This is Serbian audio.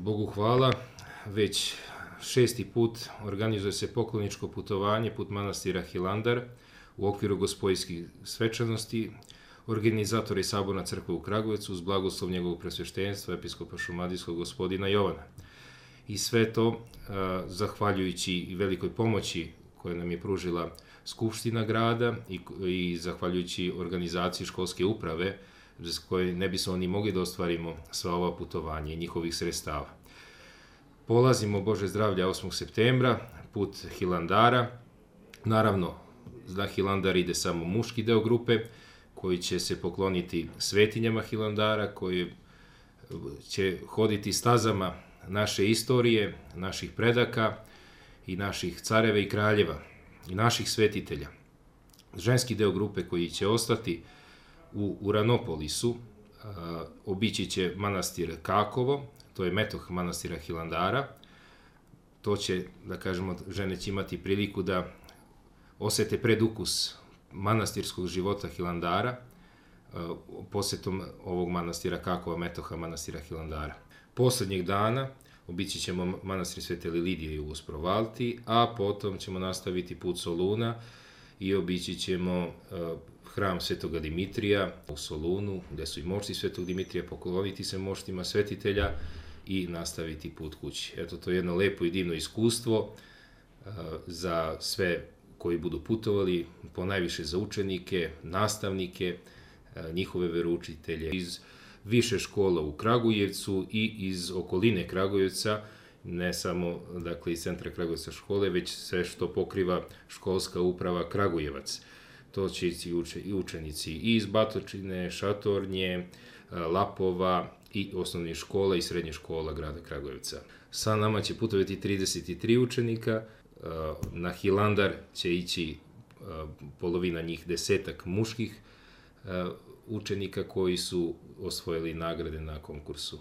Bogu hvala, već 6. put organizuje se pokloničko putovanje put manastira Hilandar u okviru gospojskih svečanosti. Organizator je Saborna crkva u Kragujevcu uz blagoslov njegovog presveštenstva, episkopa šumadijskog gospodina Jovana. I sve to zahvaljujući i velikoj pomoći koju nam je pružila Skupština grada i zahvaljujući organizaciji školske uprave, bez koje ne bismo ni mogli da ostvarimo sva ova putovanja i njihovih sredstava. Polazimo, Bože zdravlja, 8. septembra, put Hilandara. Naravno, za Hilandar ide samo muški deo grupe, koji će se pokloniti svetinjama Hilandara, koji će hoditi stazama naše istorije, naših predaka i naših careva i kraljeva i naših svetitelja. Ženski deo grupe koji će ostati u Uranopolisu obići će manastir Kakovo, to je metoh manastira Hilandara. To će, da kažemo, žene će imati priliku da osete predukus manastirskog života Hilandara posetom ovog manastira Kakova, metoha manastira Hilandara. Poslednjeg dana obići ćemo manastir Svete Lilidije u Osprovalti, a potom ćemo nastaviti put Soluna i obići ćemo hram Svetoga Dimitrija u Solunu, gde su i mošti Svetog Dimitrija, pokloniti se moštima svetitelja i nastaviti put kući. Eto, to je jedno lepo i divno iskustvo za sve koji budu putovali, ponajviše za učenike, nastavnike, njihove veroučitelje iz više škola u Kragujevcu i iz okoline Kragujevca, ne samo, dakle, iz centra Kragujevca škole, već sve što pokriva školska uprava Kragujevac. To će i učenici i iz Batočine, Šatornje, Lapova i osnovnih škola i srednjih škola grada Kragujevca. Sa nama će putovati 33 učenika, na Hilandar će ići polovina njih, 10 muških učenika koji su osvojili nagrade na konkursu.